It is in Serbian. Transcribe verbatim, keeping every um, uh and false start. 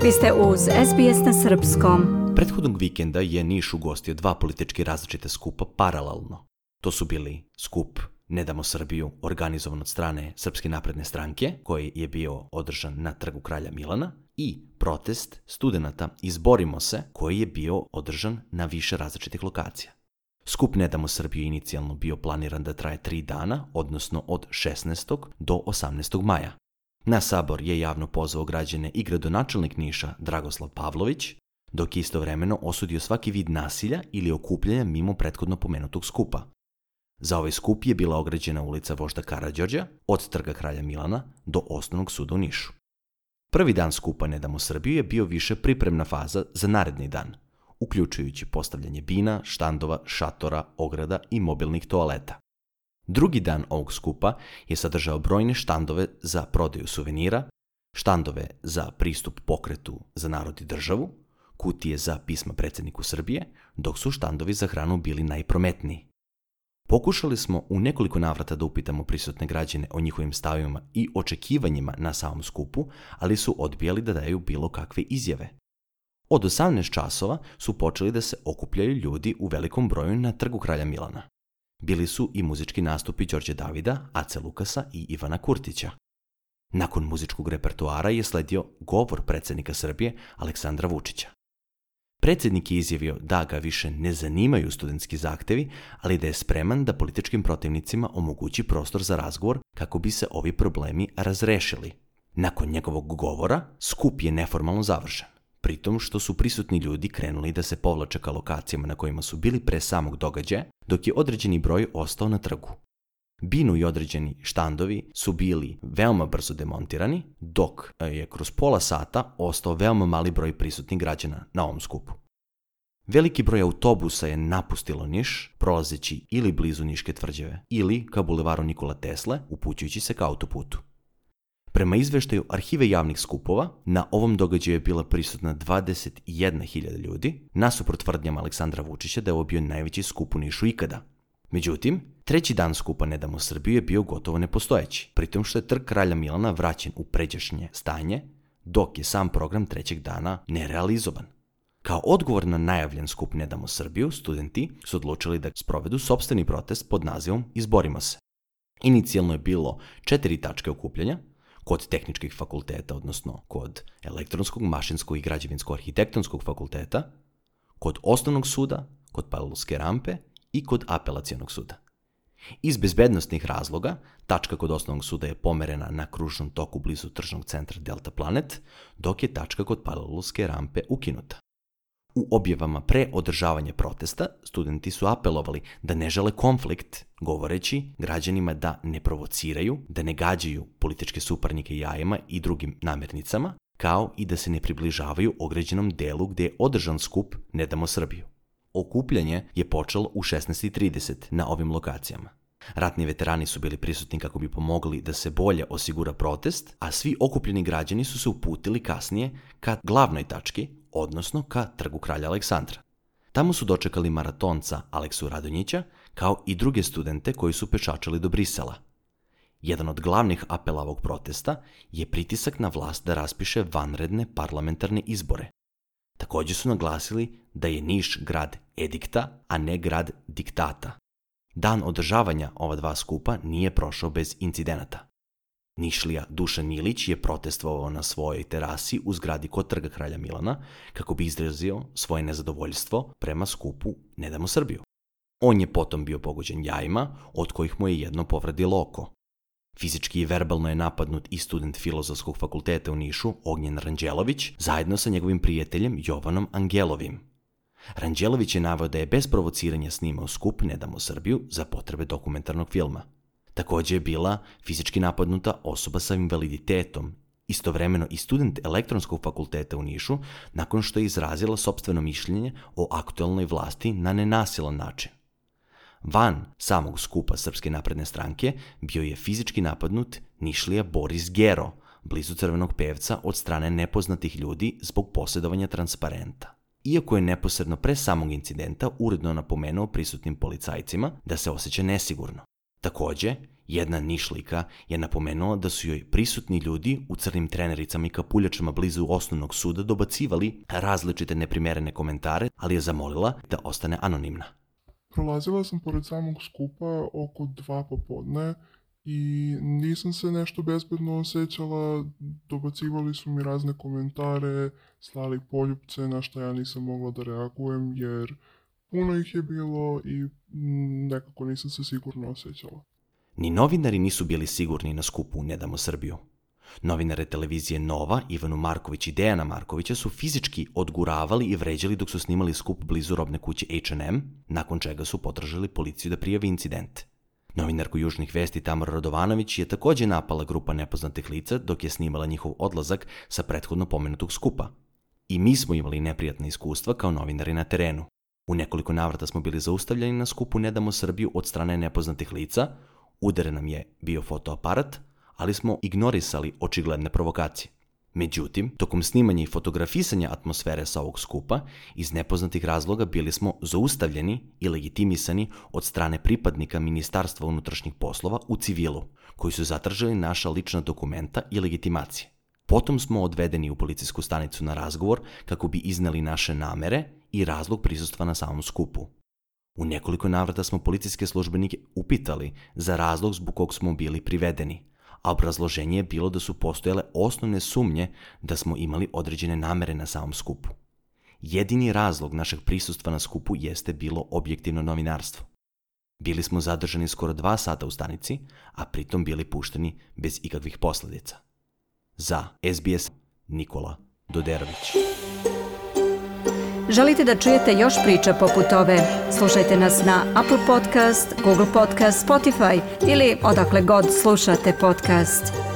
Vi ste uz S B S na srpskom. Prethodnog vikenda je Niš ugostio dva politički različite skupa paralelno. To su bili skup Ne damo Srbiju, organizovan od strane Srpske napredne stranke, koji je bio održan na Trgu kralja Milana, i protest studenata Izborimo se, koji je bio održan na više različitih lokacija. Skup Ne damo Srbiju inicijalno bio planiran da traje tri dana, odnosno od šesnaestog do osamnaestog maja. Na sabor je javno pozvao građane i gradonačelnik Niša Dragoslav Pavlović, dok je istovremeno osudio svaki vid nasilja ili okupljanja mimo prethodno pomenutog skupa. Za ovaj skup je bila ograđena ulica Vožda Karađorđa od Trga kralja Milana do Osnovnog suda u Nišu. Prvi dan skupa Ne damo Srbiju je bio više pripremna faza za naredni dan, uključujući postavljanje bina, štandova, šatora, ograda i mobilnih toaleta. Drugi dan ovog skupa je sadržao brojne štandove za prodaju suvenira, štandove za pristup pokretu za narod i državu, kutije za pisma predsjedniku Srbije, dok su štandovi za hranu bili najprometniji. Pokušali smo u nekoliko navrata da upitamo prisutne građane o njihovim stavima i očekivanjima na samom skupu, ali su odbijali da daju bilo kakve izjave. Od osamnaest časova su počeli da se okupljaju ljudi u velikom broju na Trgu kralja Milana. Bili su i muzički nastupi Đorđe Davida, Ace Lukasa i Ivana Kurtića. Nakon muzičkog repertoara je sledio govor predsjednika Srbije Aleksandra Vučića. Predsjednik je izjavio da ga više ne zanimaju studentski zahtevi, ali da je spreman da političkim protivnicima omogući prostor za razgovor kako bi se ovi problemi razrešili. Nakon njegovog govora, skup je neformalno završen, pritom što su prisutni ljudi krenuli da se povlače ka lokacijama na kojima su bili pre samog događaja, dok je određeni broj ostao na trgu. Binu i određeni štandovi su bili veoma brzo demontirani, dok je kroz pola sata ostao veoma mali broj prisutnih građana na ovom skupu. Veliki broj autobusa je napustilo Niš, prolazeći ili blizu Niške tvrđave, ili ka bulevaru Nikola Tesle, upućujući se ka autoputu. Prema izveštaju Arhive javnih skupova, na ovom događaju je bila prisutna dvadeset jedna hiljada ljudi, nasuprot tvrdnjama Aleksandra Vučića da je ovo bio najveći skup u Nišu ikada. Međutim, treći dan skupa Ne damo Srbiju je bio gotovo nepostojeći, pritom što je Trg kralja Milana vraćen u pređašnje stanje, dok je sam program trećeg dana nerealizovan. Kao odgovor na najavljen skup Ne damo Srbiju, studenti su odlučili da sprovedu sopstveni protest pod nazivom Izborimo se. Inicijalno je bilo četiri tačke okupljanja, kod tehničkih fakulteta, odnosno kod elektronskog, mašinskog i građevinsko-arhitektonskog fakulteta, kod osnovnog suda, kod Palilulske rampe i kod apelacionog suda. Iz bezbednostnih razloga, tačka kod osnovnog suda je pomerena na kružnom toku blizu tržnog centra Delta Planet, dok je tačka kod Palilulske rampe ukinuta. U objavama pre održavanja protesta, studenti su apelovali da ne žele konflikt, govoreći građanima da ne provociraju, da ne gađaju političke suparnike jajima i drugim namirnicama, kao i da se ne približavaju određenom delu gde je održan skup Ne damo Srbiju. Okupljanje je počelo u šesnaest trideset na ovim lokacijama. Ratni veterani su bili prisutni kako bi pomogli da se bolje osigura protest, a svi okupljeni građani su se uputili kasnije ka glavnoj tački, odnosno ka Trgu kralja Aleksandra. Tamo su dočekali maratonca Aleksu Radonjića, kao i druge studente koji su pešačili do Brisela. Jedan od glavnih apela ovog protesta je pritisak na vlast da raspiše vanredne parlamentarne izbore. Također su naglasili da je Niš grad edikta, a ne grad diktata. Dan održavanja ova dva skupa nije prošao bez incidenata. Nišlija Dušan Milić je protestovao na svojoj terasi u zgradi kod Trga kralja Milana kako bi izrazio svoje nezadovoljstvo prema skupu Ne damo Srbiju. On je potom bio pogođen jajima, od kojih mu je jedno povredilo oko. Fizički i verbalno je napadnut i student Filozofskog fakulteta u Nišu, Ognjen Ranđelović, zajedno sa njegovim prijateljem Jovanom Angelovim. Ranđelović je naveo da je bez provociranja snimao skup Ne damo Srbiju za potrebe dokumentarnog filma. Također je bila fizički napadnuta osoba sa invaliditetom, istovremeno i student Elektronskog fakulteta u Nišu, nakon što je izrazila sopstveno mišljenje o aktualnoj vlasti na nenasilan način. Van samog skupa Srpske napredne stranke bio je fizički napadnut Nišlija Boris Gero, blizu Crvenog pevca, od strane nepoznatih ljudi zbog posjedovanja transparenta. Iako je neposredno pre samog incidenta uredno napomenuo prisutnim policajcima da se osjeća nesigurno. Također Jedna Nišlika je napomenula da su joj prisutni ljudi u crnim trenericama i kapuljačama blizu osnovnog suda dobacivali različite neprimerene komentare, ali je zamolila da ostane anonimna. Prolazila sam pored samog skupa oko dva popodne i nisam se nešto bezbedno osjećala, dobacivali su mi razne komentare, slali poljupce na što ja nisam mogla da reagujem jer puno ih je bilo i nekako nisam se sigurno osjećala. Ni novinari nisu bili sigurni na skupu Ne damo Srbiju. Novinare televizije Nova, Ivanu Marković i Dejana Markovića su fizički odguravali i vređali dok su snimali skup blizu robne kuće H and M, nakon čega su potražili policiju da prijavi incident. Novinarku Južnih vesti Tamara Radovanović je također napala grupa nepoznatih lica dok je snimala njihov odlazak sa prethodno pomenutog skupa. I mi smo imali neprijatna iskustva kao novinari na terenu. U nekoliko navrata smo bili zaustavljeni na skupu Ne damo Srbiju od strane nepoznatih lica, udaren nam je bio fotoaparat, ali smo ignorisali očigledne provokacije. Međutim, tokom snimanja i fotografisanja atmosfere sa ovog skupa, iz nepoznatih razloga bili smo zaustavljeni i legitimisani od strane pripadnika Ministarstva unutrašnjih poslova u civilu, koji su zatražili naša lična dokumenta i legitimacije. Potom smo odvedeni u policijsku stanicu na razgovor kako bi izneli naše namere i razlog prisustva na samom skupu. U nekoliko navrata smo policijske službenike upitali za razlog zbog kog smo bili privedeni, a obrazloženje je bilo da su postojale osnovne sumnje da smo imali određene namere na samom skupu. Jedini razlog našeg prisustva na skupu jeste bilo objektivno novinarstvo. Bili smo zadržani skoro dva sata u stanici, a pritom bili pušteni bez ikakvih posljedica. Za S B S, Nikola Doderović. Želite da čujete još priča poput ove? Slušajte nas na Apple Podcast, Google Podcast, Spotify ili odakle god slušate podcast.